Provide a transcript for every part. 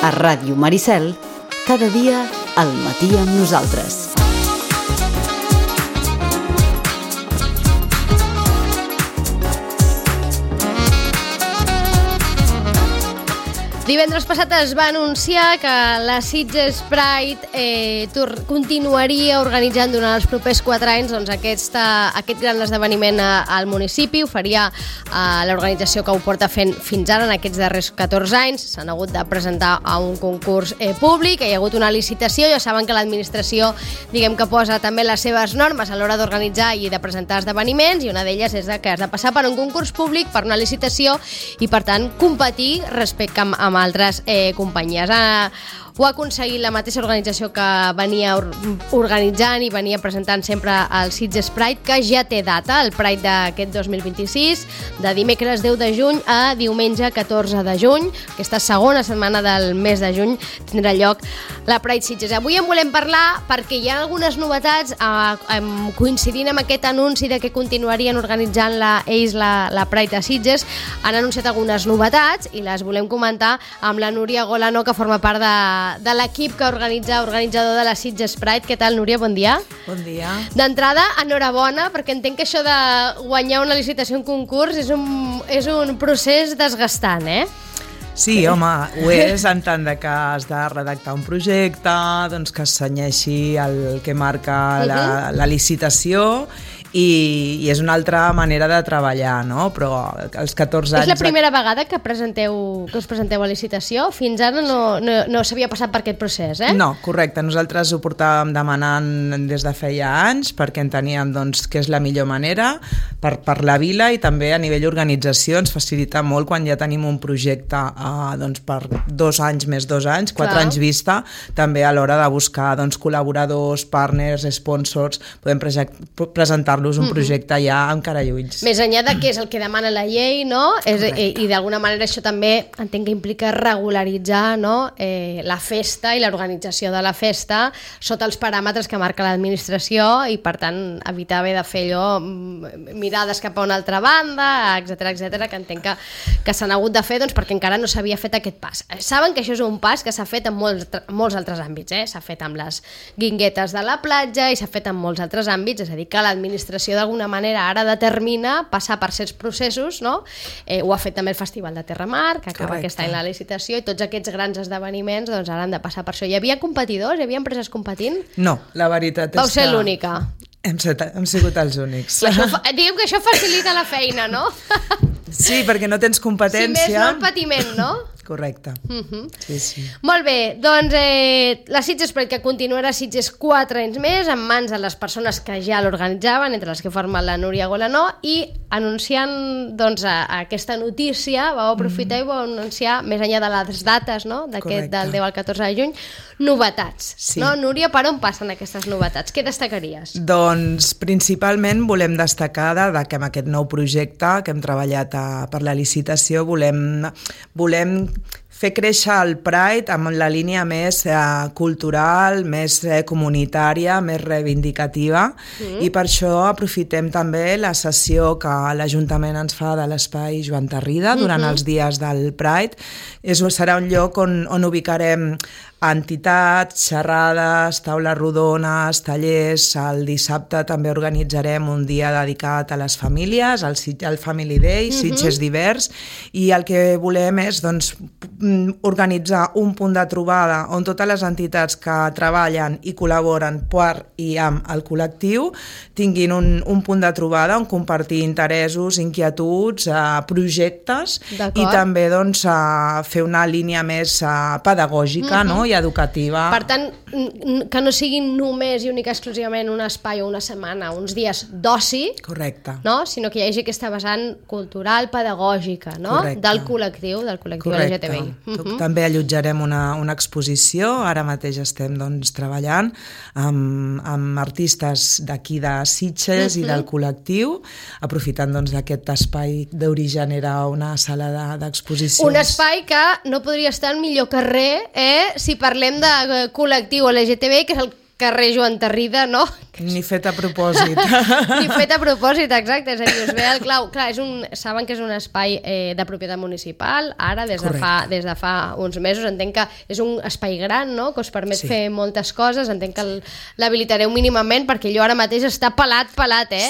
A Ràdio Maricel, cada dia al matí amb nosaltres. Divendres passat es va anunciar que la Sitges Pride continuaria organitzant durant els propers 4 anys aquest gran esdeveniment al municipi. Ho faria l'organització que ho porta fent fins ara en aquests darrers 14 anys. S'han hagut de presentar a un concurs públic, hi ha hagut una licitació. Ja saben que l'administració que posa també les seves normes a l'hora d'organitzar i de presentar esdeveniments, i una d'elles és que has de passar per un concurs públic, per una licitació, i per tant competir respecte amb altres companyies. Ho ha aconseguit la mateixa organització que venia organitzant i venia presentant sempre el Sitges Pride, que ja té data, el Pride d'aquest 2026, de dimecres 10 de juny a diumenge 14 de juny. Aquesta segona setmana del mes de juny tindrà lloc la Pride Sitges. Avui en volem parlar perquè hi ha algunes novetats coincidint amb aquest anunci de que continuarien organitzant ells la Pride a Sitges. Han anunciat algunes novetats i les volem comentar amb la Núria Golano, que forma part de l'equip que organitzador de la Sitges Pride. Què tal, Núria? Bon dia. Bon dia. D'entrada, enhorabona, perquè entenc que això de guanyar una licitació, un concurs, és un procés desgastant, eh? Sí, home, ho és en tant que has de redactar un projecte, doncs que es cenyeixi el que marca la licitació, i és una altra manera de treballar, no? Però els 14 anys... És la primera vegada que us presenteu a licitació? Fins ara no s'havia passat per aquest procés, eh? No, correcte. Nosaltres ho portàvem demanant des de feia anys perquè enteníem que és la millor manera per la vila, i també a nivell organització ens facilita molt quan ja tenim un projecte per 2 anys més 2 anys, 4 anys vista, també a l'hora de buscar col·laboradors, partners, sponsors, podem presentar-los un projecte ja amb cara i ulls. Més enllà de què és el que demana la llei, no? I d'alguna manera això també entenc que implica regularitzar, no? La festa i l'organització de la festa sota els paràmetres que marca l'administració, i per tant evitar haver de fer allò, mirades cap a una altra banda, etcètera, que entenc que s'han hagut de fer perquè encara no s'havia fet aquest pas. Saben que això és un pas que s'ha fet en molts altres àmbits, s'ha fet amb les guinguetes de la platja i s'ha fet en molts altres àmbits, és a dir, que l'administració d'alguna manera ara determina passar per certs processos, no? Ho ha fet també el Festival de Terramar, que acaba aquest any la licitació, i tots aquests grans esdeveniments ara han de passar per això. Hi havia competidors? Hi havia empreses competint? No, la veritat és que... Vau ser l'única? Hem sigut els únics. Diguem que això facilita la feina, no? Sí, perquè no tens competència. Si més no el patiment, no? Correcte. Sí. Molt bé, doncs la Sitges Pride, que continuarà a Sitges 4 anys més, en mans de les persones que ja l'organitzaven, entre les que formen la Núria Golano, i anunciant aquesta notícia, vau aprofitar i vau anunciar, més enllà de les dates, no? Del 10 al 14 de juny, novetats. Sí. No? Núria, per on passen aquestes novetats? Què destacaries? Doncs principalment volem destacar que amb aquest nou projecte que hem treballat per la licitació volem fer créixer el Pride amb la línia més cultural, més comunitària, més reivindicativa, i per això aprofitem també la sessió que l'Ajuntament ens fa de l'Espai Joan Tarrida durant els dies del Pride. Serà un lloc on ubicarem entitats, xerrades, taules rodones, tallers. El dissabte també organitzarem un dia dedicat a les famílies, el Family Day, Sitges Divers, i el que volem és organitzar un punt de trobada on totes les entitats que treballen i col·laboren per i amb el col·lectiu tinguin un punt de trobada on compartir interessos, inquietuds, projectes, i també fer una línia més pedagògica, no? I educativa. Per tant, que no siguin només i única exclusivament un espai o una setmana, uns dies d'oci, correcte, no? Sinó que hi hagi aquesta vessant cultural, pedagògica, no? Del col·lectiu LGTBI. També allotjarem una exposició. Ara mateix estem treballant amb artistes d'aquí de Sitges i del col·lectiu, aprofitant d'aquest espai d'origen era una sala d'exposicions. Un espai que no podria estar en millor carrer si parlem de col·lectiu LGTBI, que és el carrer Joan Tarrida, no? Ni fet a propòsit. Ni fet a propòsit, exacte. És a dir, us ve el clau. Clar, saben que és un espai de propietat municipal, ara, des de fa uns mesos. Entenc que és un espai gran, no?, que us permet fer moltes coses. Entenc que l'habilitareu mínimament, perquè allò ara mateix està pelat,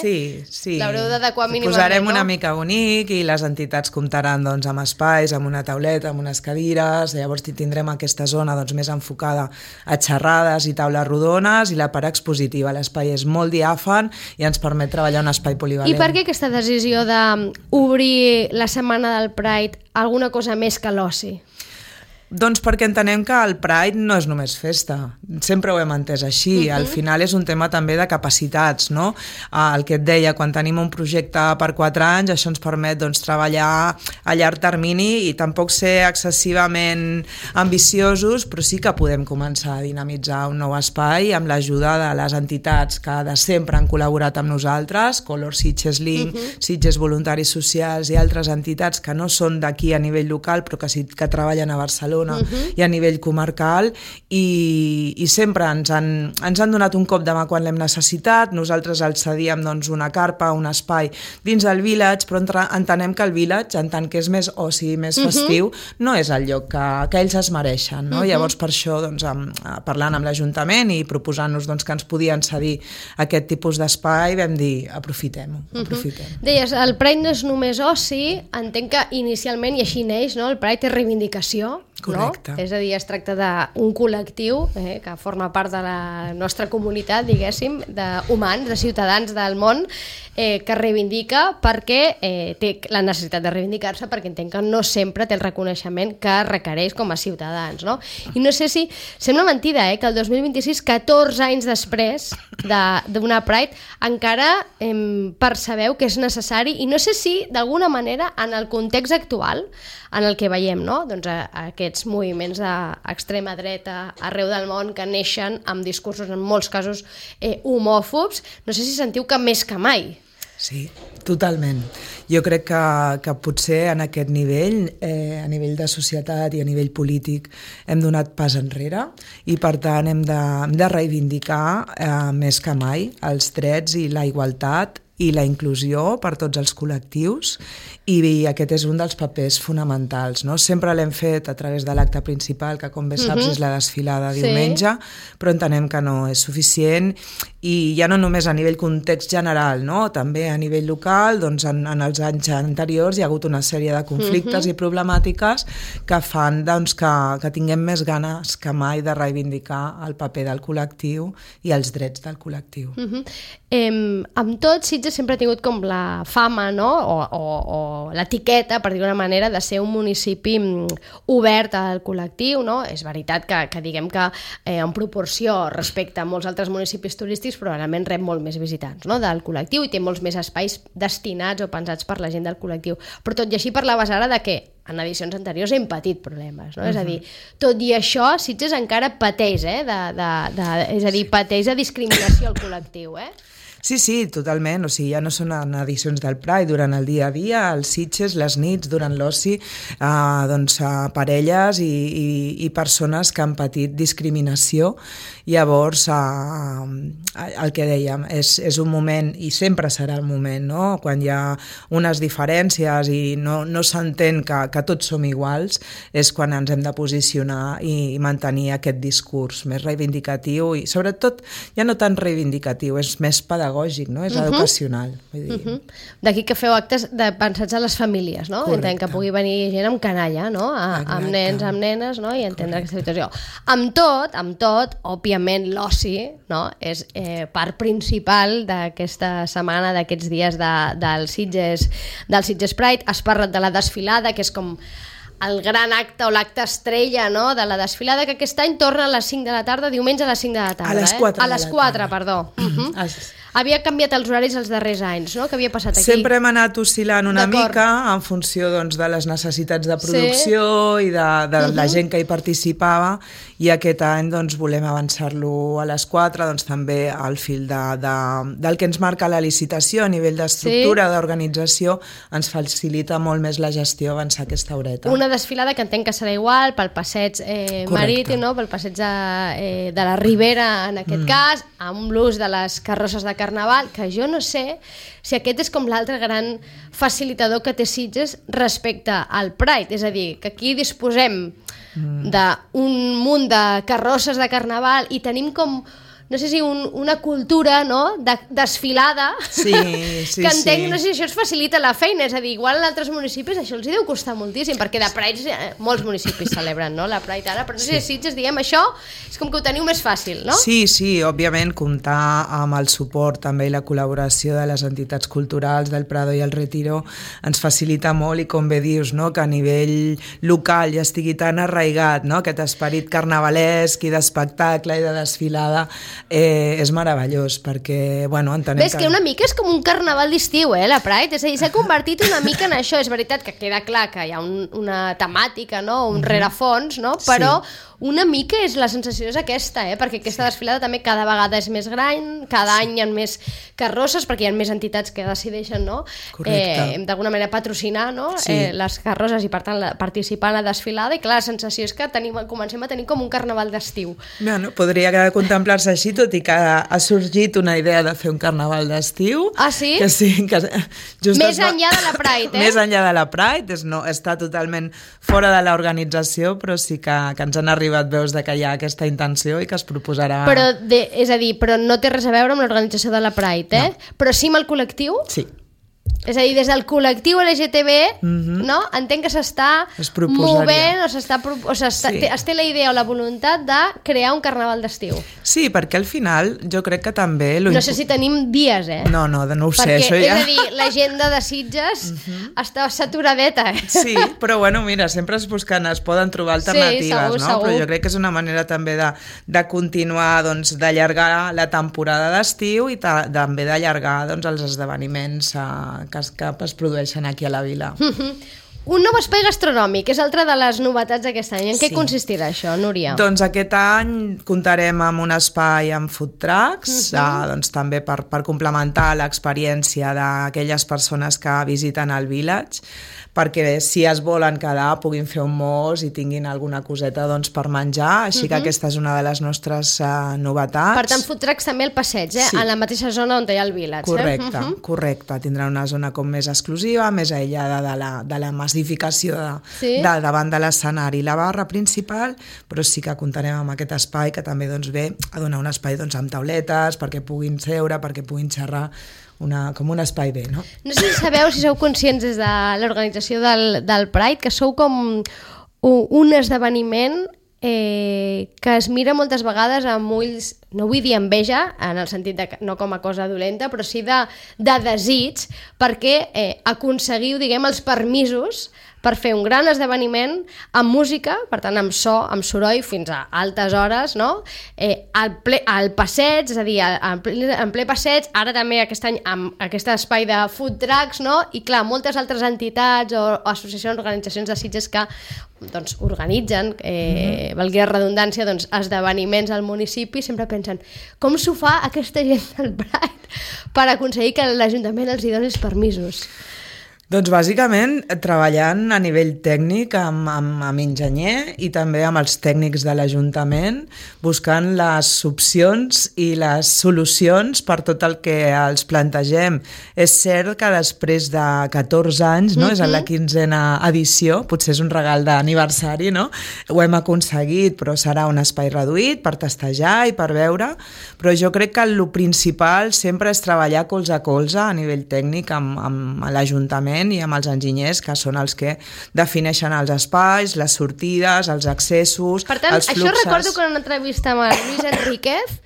Sí. L'haureu d'adequar mínimament, posarem una mica bonic i les entitats comptaran doncs, amb espais, amb una tauleta, amb unes cadires. Llavors tindrem aquesta zona doncs, més enfocada a xerrades i taules rodones, i la part expositiva. L'espai és molt diàfan i ens permet treballar un espai polivalent. I per què aquesta decisió d'obrir la setmana del Pride alguna cosa més que l'oci? Doncs perquè entenem que el Pride no és només festa, sempre ho hem entès així, al final és un tema també de capacitats, no? El que et deia, quan tenim un projecte per 4 anys, això ens permet doncs, treballar a llarg termini i tampoc ser excessivament ambiciosos, però sí que podem començar a dinamitzar un nou espai amb l'ajuda de les entitats que de sempre han col·laborat amb nosaltres, Color Sitges Link, Sitges Voluntaris Socials i altres entitats que no són d'aquí a nivell local però que treballen a Barcelona i a nivell comarcal, i sempre ens han donat un cop de mà quan l'hem necessitat. Nosaltres els cedíem doncs, una carpa, un espai dins del village, però entenem que el village, en tant que és més oci, més festiu, no és el lloc que ells es mereixen, no? Llavors per això, doncs, parlant amb l'Ajuntament i proposant-nos doncs, que ens podien cedir aquest tipus d'espai, vam dir, aprofitem-ho. Deies, el Pride no és només oci, entenc que inicialment, i així neix, no? El Pride és reivindicació, correcte. No? És a dir, es tracta d'un col·lectiu que forma part de la nostra comunitat, diguéssim, d'humans, de ciutadans del món, que reivindica perquè té la necessitat de reivindicar-se, perquè entenc que no sempre té el reconeixement que requereix com a ciutadans, no? I no sé si... Sembla mentida, que el 2026, 14 anys després d'una Pride, encara percebeu que és necessari, i no sé si, d'alguna manera, en el context actual, en el que veiem, no? Doncs aquests moviments d'extrema dreta arreu del món que neixen amb discursos, en molts casos, homòfobs, no sé si sentiu que més que mai. Sí, totalment. Jo crec que potser en aquest nivell, a nivell de societat i a nivell polític, hem donat pas enrere i per tant hem de reivindicar més que mai els drets i la igualtat i la inclusió per tots els col·lectius, i aquest és un dels papers fonamentals, no? Sempre l'hem fet a través de l'acte principal, que com bé saps és la desfilada diumenge, però entenem que no és suficient, i ja no només a nivell context general, no? També a nivell local, doncs en els anys anteriors hi ha hagut una sèrie de conflictes i problemàtiques que fan doncs, que tinguem més ganes que mai de reivindicar el paper del col·lectiu i els drets del col·lectiu. Amb tot, Sitges sempre ha tingut com la fama, no? O l'etiqueta, per dir d'una manera, de ser un municipi obert al col·lectiu, no? És veritat que diguem que en proporció respecte a molts altres municipis turístics probablement rep molt més visitants, no? Del col·lectiu, i té molts més espais destinats o pensats per la gent del col·lectiu. Però tot i així parlaves ara de que en edicions anteriors hem patit problemes, no? És a dir, tot i això, Sitges encara pateix, és a dir, pateix de discriminació al col·lectiu, Sí, totalment. O sigui, ja no són en edicions del Pride, durant el dia a dia, els Sitges, les nits, durant l'oci, doncs, parelles i persones que han patit discriminació. Llavors, el que dèiem, és un moment, i sempre serà el moment, no? Quan hi ha unes diferències i no s'entén que tots som iguals, és quan ens hem de posicionar i mantenir aquest discurs més reivindicatiu, i sobretot ja no tan reivindicatiu, és més pedagògic, no? És educacional. D'aquí que feu actes pensats a les famílies, no? Entenc que pugui venir gent amb canalla, no? Amb nens, amb nenes, no? I entendre aquesta situació. Amb tot, òbviament l'oci, no? És part principal d'aquesta setmana, d'aquests dies del Sitges Pride. Has parlat de la desfilada, que és com el gran acte o l'acte estrella, no? De la desfilada, que aquest any torna a les 5 de la tarda, diumenge a les 5 de la tarda. A les 4 A les 4, perdó. Havia canviat els horaris els darrers anys, no? Què havia passat aquí? Sempre hem anat oscil·lant una mica en funció doncs, de les necessitats de producció i de la gent que hi participava, i aquest any doncs, volem avançar-lo a les 4, doncs, també al fil del que ens marca la licitació a nivell d'estructura, d'organització, ens facilita molt més la gestió avançar aquesta horeta. Una desfilada que entenc que serà igual pel passeig marítim, no? Pel passeig de la Ribera, en aquest cas, amb l'ús de les carrosses de carnaval, que jo no sé si aquest és com l'altre gran facilitador que té Sitges respecte al Pride, és a dir, que aquí disposem d'un munt de carrosses de carnaval i tenim com, no sé si una cultura, no?, de desfilada, que entenc, no sé si això ens facilita la feina, és a dir, igual en altres municipis això els hi deu costar moltíssim, perquè de Pride molts municipis celebren, no?, la Pride ara, però no sé si Sitges, diguem, això és com que ho teniu més fàcil, no? Sí, òbviament, comptar amb el suport també i la col·laboració de les entitats culturals del Prado i el Retiro ens facilita molt, i com bé dius, no?, que a nivell local ja estigui tan arraigat, no?, aquest esperit carnavalesc i d'espectacle i de desfilada, és meravellós, perquè, bueno, entenem que una mica és com un carnaval d'estiu, la Pride, és a dir, s'ha convertit una mica en això, és veritat que queda clar que hi ha una temàtica, no?, un rerefons, no?, però una mica és la sensació és aquesta, perquè aquesta desfilada també cada vegada és més gran, cada any hi ha més carrosses, perquè hi ha més entitats que decideixen, no?, d'alguna manera patrocinar, no?, les carrosses i per tant participar en la desfilada, i clar, la sensació és que comencem a tenir com un carnaval d'estiu. Bueno, podria contemplar-se així, tot i que ha sorgit una idea de fer un carnaval d'estiu. Ah, sí? Que sí. Més enllà de la Pride, Més enllà de la Pride, està totalment fora de l'organització, però sí que ens han arribat veus de que hi ha aquesta intenció i que es proposarà... Però, és a dir, però no té res a veure amb l'organització de la Pride, No. Però sí amb el col·lectiu? Sí. És a dir, des del col·lectiu LGTB, no? Entenc que s'està movent es té la idea o la voluntat de crear un carnaval d'estiu. Sí, perquè al final jo crec que també... No sé si tenim dies, No ho sé, perquè, això ja... és a dir, l'agenda de Sitges està saturadeta, Sí, però bueno, mira, sempre es poden trobar alternatives, segur. Però jo crec que és una manera també de continuar, doncs, d'allargar la temporada d'estiu i també d'allargar, doncs, els esdeveniments que es produeixen aquí a la vila. Un nou espai gastronòmic és altra de les novetats d'aquest any. En què consistirà això, Núria? Doncs aquest any comptarem amb un espai amb food trucks, doncs també per complementar l'experiència d'aquelles persones que visiten el village, perquè si es volen quedar puguin fer un mos i tinguin alguna coseta doncs, per menjar, així que aquesta és una de les nostres novetats. Per tant, food trucks també al passeig, Sí. en la mateixa zona on hi ha el village. Correcte. Tindrà una zona com més exclusiva, més aïllada de la massificació davant de l'escenari i la barra principal, però sí que comptarem amb aquest espai que també doncs, ve a donar un espai doncs, amb tauletes perquè puguin seure, perquè puguin xerrar, com un espai bé, no? No sé si sou conscients des de l'organització del Pride que sou com un esdeveniment que es mira moltes vegades amb ulls, no vull dir enveja, en el sentit de no com a cosa dolenta, però sí de desig, perquè aconseguiu, diguem, els permisos per fer un gran esdeveniment amb música, per tant amb so, amb soroll, fins a altes hores, no? Al passeig, és a dir, en ple passeig, ara també aquest any amb aquest espai de food trucks, no? I clar, moltes altres entitats o associacions, organitzacions de Sitges que doncs, organitzen, valgui la redundància, doncs, esdeveniments al municipi, sempre pensen com s'ho fa aquesta gent del Pride per aconseguir que l'Ajuntament els hi doni els permisos. Doncs bàsicament treballant a nivell tècnic amb enginyer i també amb els tècnics de l'Ajuntament, buscant les opcions i les solucions per tot el que els plantegem. És cert que després de 14 anys, no? És en la 15a edició, potser és un regal d'aniversari, no? Ho hem aconseguit, però serà un espai reduït per testejar i per veure, però jo crec que el principal sempre és treballar colze a colze a nivell tècnic amb l'Ajuntament i amb els enginyers, que són els que defineixen els espais, les sortides, els accessos, per tant, els fluxes. Això recordo que en una entrevista amb el Lluís Enríquez,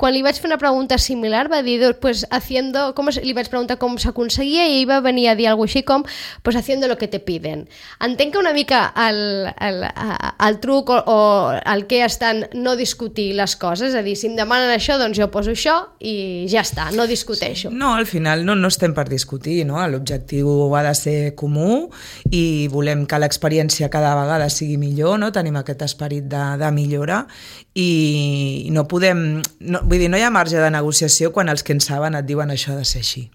quan li vaig fer una pregunta similar va dir, pues haciendo, li vaig preguntar com s'aconseguia i ell va venir a dir alguna així com, pues haciendo lo que te piden. Entenc que una mica el truc o el que estan no discutir les coses, és a dir, si em demanen això, doncs jo poso això i ja està, no discuteixo. No, al final no estem per discutir, no? L'objectiu ha de ser comú i volem que l'experiència cada vegada sigui millor, no? Tenim aquest esperit de millora i no podem... vull dir, no hi ha marge de negociació quan els que en saben et diuen això ha de ser així.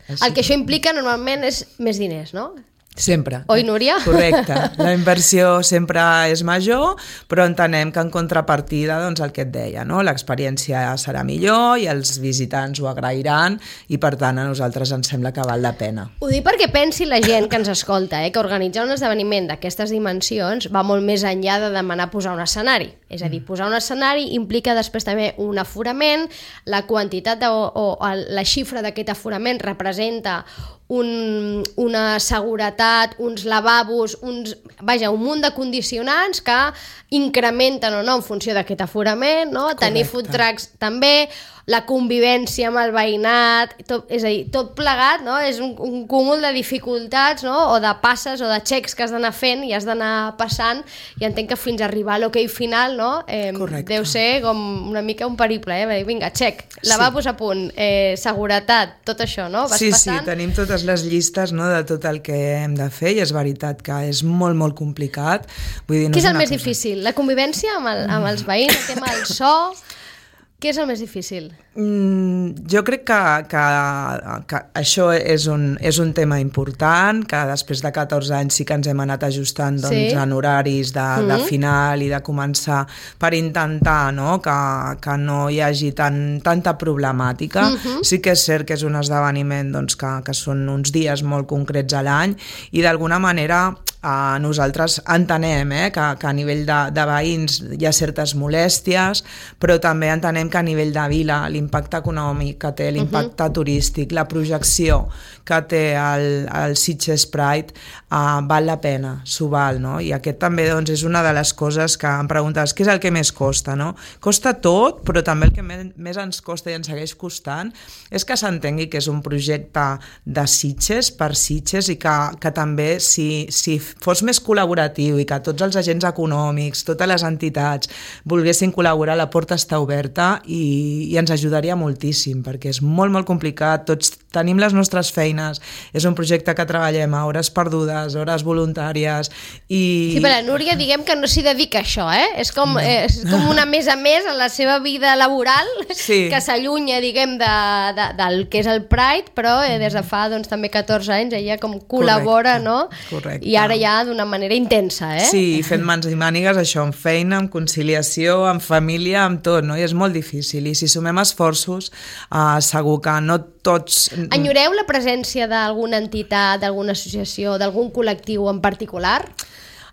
El que això implica normalment és més diners, no? Sempre. Oi, Núria? Correcte. La inversió sempre és major, però entenem que en contrapartida, doncs el que et deia, no? L'experiència serà millor i els visitants ho agrairan i per tant a nosaltres ens sembla que val la pena. Ho dic perquè pensi la gent que ens escolta, que organitzar un esdeveniment d'aquestes dimensions va molt més enllà de demanar posar un escenari. És a dir, posar un escenari implica després també un aforament, la quantitat o la xifra d'aquest aforament representa una seguretat, uns lavabos, un munt de condicionants que incrementen o no en funció d'aquest aforament, no? Tenir food trucks també, la convivència amb el veïnat, és a dir, tot plegat, no? És un cúmul de dificultats, no? O de passes o de xecs que has d'anar fent i has d'anar passant, i entenc que fins a arribar a l'hoquei final, no? Deu ser com una mica un periple, vinga, xec, lavabos a punt, seguretat, tot això, no? Vas passant. Sí, tenim totes les llistes, no, de tot el que hem de fer i és veritat que és molt, molt complicat. Vull dir, no què és el més difícil? La convivència amb els veïns, el tema del so... Què és el més difícil? Jo crec que això és un tema important, que després de 14 anys sí que ens hem anat ajustant en horaris de final i de començar per intentar, no, que no hi hagi tanta problemàtica. Sí que és cert que és un esdeveniment que són uns dies molt concrets a l'any i d'alguna manera nosaltres entenem que a nivell de veïns hi ha certes molèsties, però també entenem que a nivell de vila l'impacte econòmic que té, l'impacte turístic, la projecció que té el Sitges Pride val la pena, s'ho val, no? I aquest també és una de les coses que em preguntes, què és el que més costa, no? Costa tot, però també el que més ens costa i ens segueix costant és que s'entengui que és un projecte de Sitges per Sitges i que també si fos més col·laboratiu i que tots els agents econòmics, totes les entitats volguessin col·laborar, la porta està oberta i ens ajudaria moltíssim, perquè és molt, molt complicat, tots tenim les nostres feines, és un projecte que treballem a hores perdudes, hores voluntàries i... Sí, però la Núria diguem que no s'hi dedica a això, és com una més a més en la seva vida laboral, que s'allunya, diguem, del que és el Pride, però des de fa també 14 anys ella com col·labora, no? Correcte. I ara ja d'una manera intensa, Sí, fent mans i mànigues, això, amb feina, amb conciliació, amb família, amb tot, no? I és molt difícil, i si sumem esforços segur que no tots... Enyoreu la presència d'alguna entitat, d'alguna associació, d'algun col·lectiu en particular?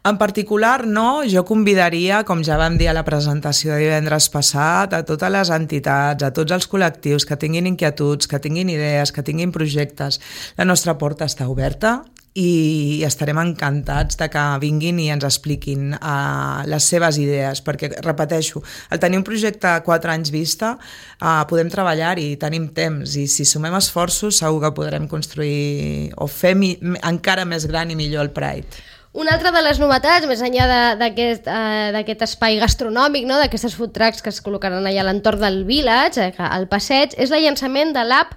En particular no, jo convidaria, com ja vam dir a la presentació de divendres passat, a totes les entitats, a tots els col·lectius que tinguin inquietuds, que tinguin idees, que tinguin projectes. La nostra porta està oberta i estarem encantats de que vinguin i ens expliquin les seves idees, perquè, repeteixo, al tenir un projecte a 4 anys vista, podem treballar-hi, tenim temps, i si sumem esforços segur que podrem construir o fer encara més gran i millor el Pride. Una altra de les novetats, més enllà d'aquest espai gastronòmic, no? D'aquestes food trucks que es col·locaran allà a l'entorn del village, al passeig, és el llançament de l'app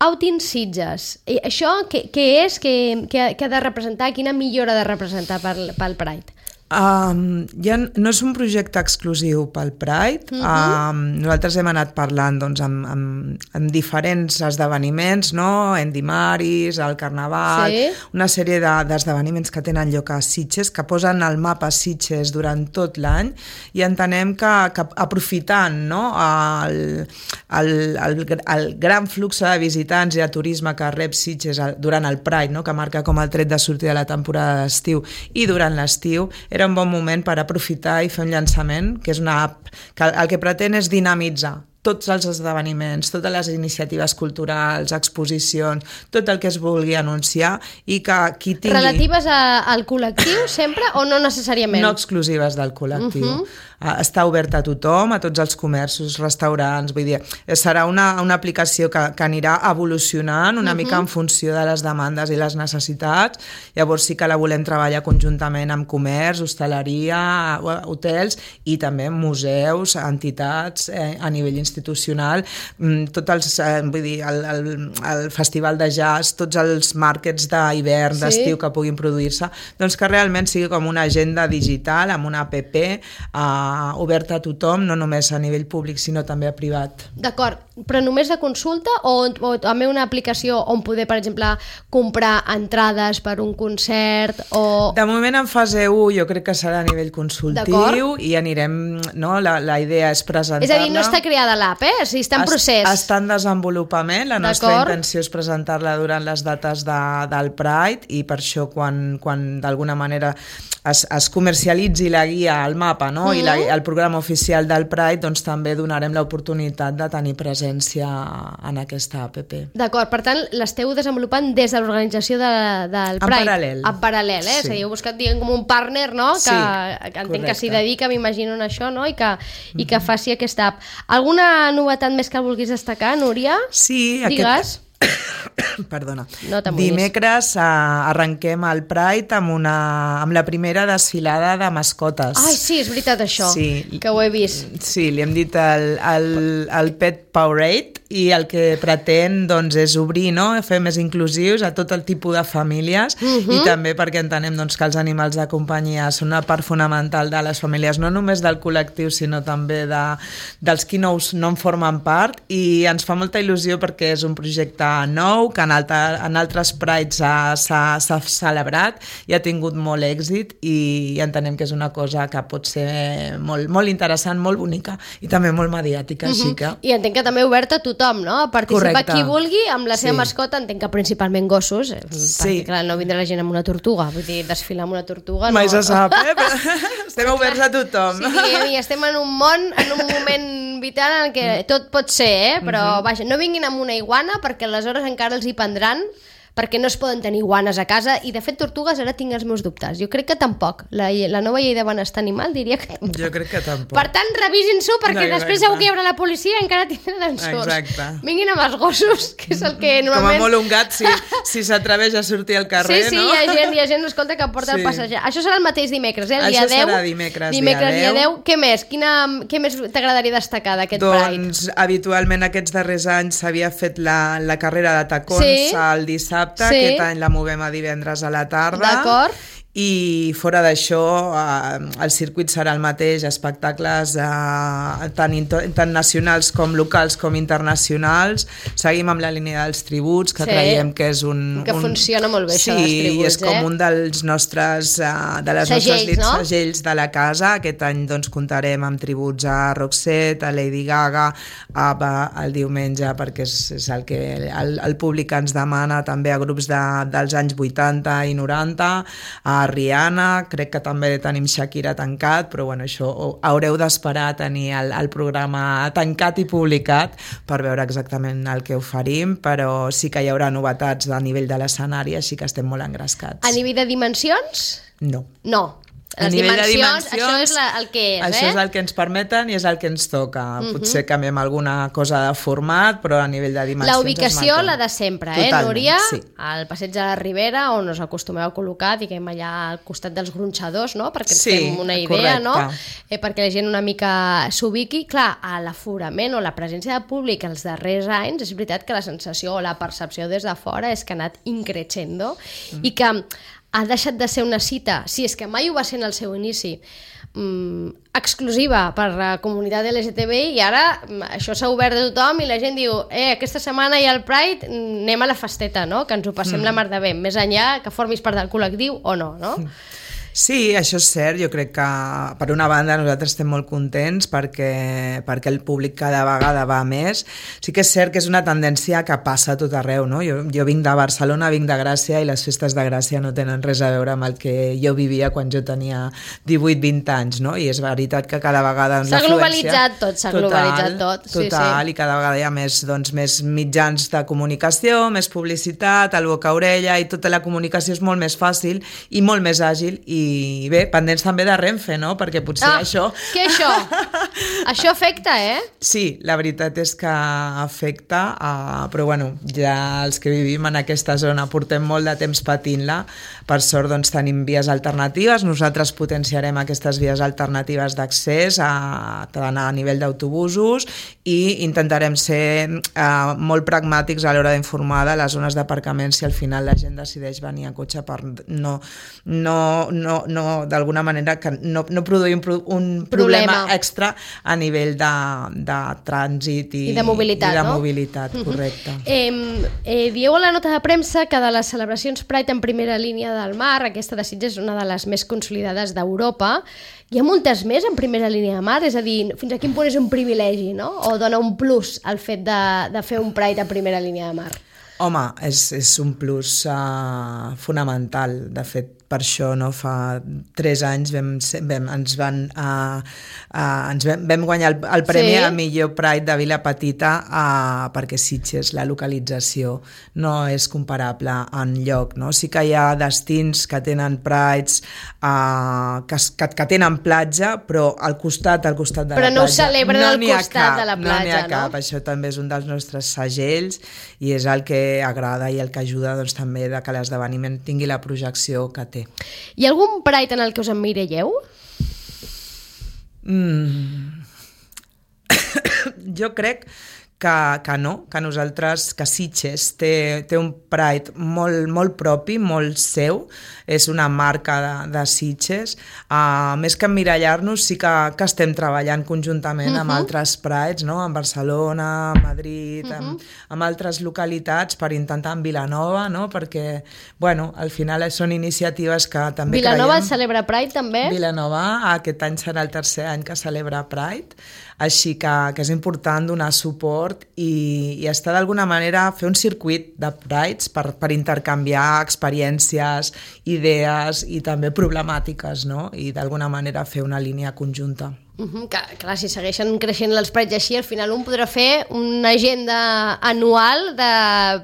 Outing Sitges. I això què és? Què ha de representar? Quina millora ha de representar pel Pride? No és un projecte exclusiu pel Pride. Nosaltres hem anat parlant amb diferents esdeveniments, no? Endimaris, el Carnaval, una sèrie d'esdeveniments que tenen lloc a Sitges, que posen al mapa Sitges durant tot l'any, i entenem que aprofitant, no, el gran flux de visitants i de turisme que rep Sitges durant el Pride, no? Que marca com el tret de sortida de la temporada d'estiu, i durant l'estiu era un bon moment per aprofitar i fer un llançament, que és una app que el que pretén és dinamitzar tots els esdeveniments, totes les iniciatives culturals, exposicions, tot el que es vulgui anunciar i que qui tingui... Relatives al col·lectiu sempre o no necessàriament? No exclusives del col·lectiu. Està obert a tothom, a tots els comerços, restaurants, vull dir, serà una aplicació que anirà evolucionant una mica en funció de les demandes i les necessitats. Llavors sí que la volem treballar conjuntament amb comerç, hostaleria, hotels i també museus, entitats a nivell institucional, tots els, vull dir, el festival de jazz, tots els màrquets d'hivern, d'estiu que puguin produir-se, doncs que realment sigui com una agenda digital amb una app oberta a tothom, no només a nivell públic sinó també a privat. D'acord, però només de consulta o també una aplicació on poder, per exemple, comprar entrades per un concert o... De moment en fase 1 jo crec que serà a nivell consultiu i anirem, no? La idea és presentar-la. És a dir, no està creada l'app, o sigui, està en procés. Està en desenvolupament, la nostra intenció és presentar-la durant les dates del Pride i per això quan d'alguna manera es comercialitzi la guia, el mapa, no? I el programa oficial del Pride, doncs també donarem l'oportunitat de tenir presència en aquesta app. D'acord, per tant, l'esteu desenvolupant des de l'organització del Pride. En paral·lel, és a dir, heu buscat com un partner, no? Que entenc que s'hi dedica, m'imagino en això, no? I que faci aquesta app. Alguna novetat més que vulguis destacar, Núria? Sí, digues. Perdona. No Dimecres arrenquem el Pride amb la primera desfilada de mascotes. Ai, sí, és veritat això, que ho he vist. Sí, li hem dit el Pet Parade i el que pretén doncs, és obrir, no? Fer més inclusius a tot el tipus de famílies i també perquè entenem doncs, que els animals de companyia són una part fonamental de les famílies, no només del col·lectiu sinó també dels qui no en formen part i ens fa molta il·lusió perquè és un projecte nou que en altres Prides s'ha celebrat i ha tingut molt èxit i entenem que és una cosa que pot ser molt, molt interessant, molt bonica i també molt mediàtica. Així que... I entenc que també oberta a tothom, no? A participar qui vulgui amb la seva mascota, entenc que principalment gossos, perquè clar, no vindrà la gent amb una tortuga, vull dir, desfilar amb una tortuga... Mai se sap, estem oberts a tothom. Sí, estem en un món, en un moment vital en què tot pot ser, però vaja, no vinguin amb una iguana perquè aleshores encara els hi prendran perquè no es poden tenir iguanes a casa i de fet tortugues ara tinc els meus dubtes, jo crec que tampoc la nova llei de benestar animal diria que tampoc. Jo crec que tampoc. Per tant revisin-s'ho perquè després segur que hi haurà la policia i encara tindran ensorts. Exacte. Vinguin amb els gossos, que és el que normalment... Com a molt un gat si s'atreveix a sortir al carrer, no? Sí, hi ha gent escolta que porta el passejar. Això serà el mateix dimecres, el dia 10. Això serà dimecres dia 10. Què més? Què més t'agradaria destacar d'aquest Pride? Doncs habitualment aquests darrers anys s'havia fet la carrera de tacons el dissabte, aquest any la movem a divendres a la tarda. D'acord. I fora d'això el circuit serà el mateix, espectacles tant nacionals com locals com internacionals. Seguim amb la línia dels tributs que creiem que és que funciona molt bé això dels tributs. Sí, és com un dels nostres segells de la casa. Aquest any doncs comptarem amb tributs a Roxette, a Lady Gaga, ABBA el diumenge perquè és el que el públic ens demana, també a grups dels anys 80 i 90, a Rihanna, crec que també tenim Shakira tancat, però bueno, això haureu d'esperar a tenir el programa tancat i publicat per veure exactament el que oferim, però sí que hi haurà novetats a nivell de l'escenari, així que estem molt engrescats. A nivell de dimensions? No. No. Les dimensions, això és el que és, Això és el que ens permeten i és el que ens toca. Potser canviem alguna cosa de format, però a nivell de dimensions... La ubicació, la de sempre, Núria? Sí. Al passeig de la Ribera, on us acostumeu a col·locar, diguem, allà al costat dels gronxadors, no? Perquè ens fem una idea, no? Perquè la gent una mica s'ubiqui. Clar, a l'aforament o la presència de públic els darrers anys, és veritat que la sensació o la percepció des de fora és que ha anat increixendo i que ha deixat de ser una cita, si és que mai ho va ser en el seu inici, exclusiva per la comunitat LGTBI i ara això s'ha obert a tothom i la gent diu aquesta setmana hi ha el Pride, anem a la festeta, no? Que ens ho passem la mar de bé, més enllà que formis part del col·lectiu o no, no? Sí, això és cert. Jo crec que, per una banda, nosaltres estem molt contents perquè el públic cada vegada va més. Sí que és cert que és una tendència que passa a tot arreu, no? Jo vinc de Barcelona, vinc de Gràcia, i les festes de Gràcia no tenen res a veure amb el que jo vivia quan jo tenia 18-20 anys, no? I és veritat que cada vegada... S'ha globalitzat tot, globalitzat tot. Total, i cada vegada hi ha més mitjans de comunicació, més publicitat, el boca a orella, i tota la comunicació és molt més fàcil i molt més àgil, i bé, pendents també de Renfe, no? Perquè potser això... Què això? Això afecta, Sí, la veritat és que afecta, però bueno, ja els que vivim en aquesta zona portem molt de temps patint-la. Per sort, doncs, tenim vies alternatives. Nosaltres potenciarem aquestes vies alternatives d'accés tant a nivell d'autobusos, i intentarem ser molt pragmàtics a l'hora d'informar de les zones d'aparcament si al final la gent decideix venir a cotxe, per no d'alguna manera que no produir un problema extra a nivell de trànsit i de mobilitat, no? Mobilitat, correcte. Dieu a la nota de premsa que de les celebracions Pride en primera línia del mar, aquesta de Sitges és una de les més consolidades d'Europa. Hi ha moltes més en primera línia de mar? És a dir, fins a quin punt és un privilegi, no? O dona un plus al fet de fer un Pride en primera línia de mar? Home, és un plus fonamental. De fet, per això, no, fa 3 anys vam guanyar el premi a millor Pride de Vila Petita, perquè Sitges, la localització, no és comparable enlloc, no? Sí que hi ha destins que tenen Prides que tenen platja, però al costat de la platja. Però no ho celebren al costat de la platja, no? No n'hi ha cap. Això també és un dels nostres segells i és el que agrada i el que ajuda, doncs, també que l'esdeveniment tingui la projecció que té. Hi ha algun Pride en el que us emmiralleu? Jo crec que no, que nosaltres, que Sitges té un Pride molt propi, molt seu, és una marca de Sitges. Més que emmirallar-nos, sí que estem treballant conjuntament amb altres Prides, no? En Barcelona, a Madrid, amb altres localitats, per intentar en Vilanova, no? Perquè, bueno, al final són iniciatives que també Vilanova celebra Pride també? Vilanova, aquest any serà el 3è any que celebra Pride, així que és important donar suport i estar d'alguna manera, fer un circuit de Prides per intercanviar experiències, idees i també problemàtiques, no? I d'alguna manera fer una línia conjunta. Clar, si segueixen creixent els Prides així, al final un podrà fer una agenda anual de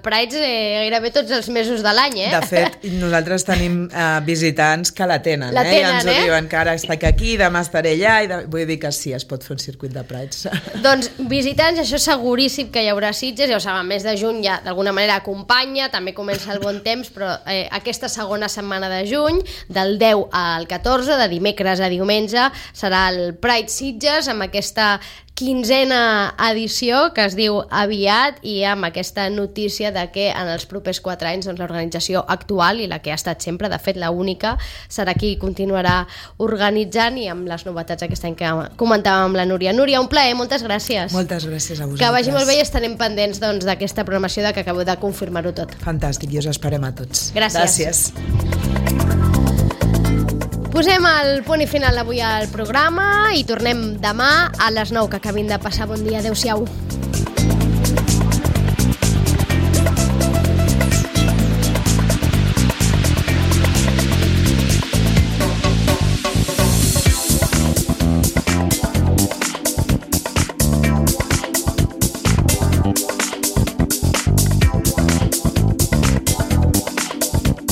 Prides gairebé tots els mesos de l'any, De fet, nosaltres tenim visitants que la tenen, i ens ho diuen, que ara estic aquí, demà estaré allà, vull dir que sí, es pot fer un circuit de Prides. Doncs visitants, això seguríssim que hi haurà Sitges, ja ho saben, mes de juny ja d'alguna manera acompanya, també comença el bon temps, però aquesta segona setmana de juny, del 10 al 14, de dimecres a diumenge, serà el Pride Sitges, amb aquesta 15a edició que es diu Aviat, i amb aquesta notícia de que en els propers 4 anys, doncs, l'organització actual i la que ha estat sempre, de fet la única, serà qui continuarà organitzant, i amb les novetats aquest any que comentàvem amb la Núria. Núria, un plaer, moltes gràcies. Moltes gràcies a vosaltres. Que vagi molt bé i estarem pendents, doncs, d'aquesta programació que acabeu de confirmar-ho tot. Fantàstic, i us esperem a tots. Gràcies. Posem el punt i final avui al programa i tornem demà a les 9, que acabin de passar bon dia. Adéu-siau.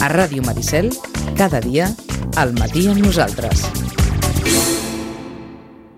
A Ràdio Maricel, cada dia, al matí amb nosaltres.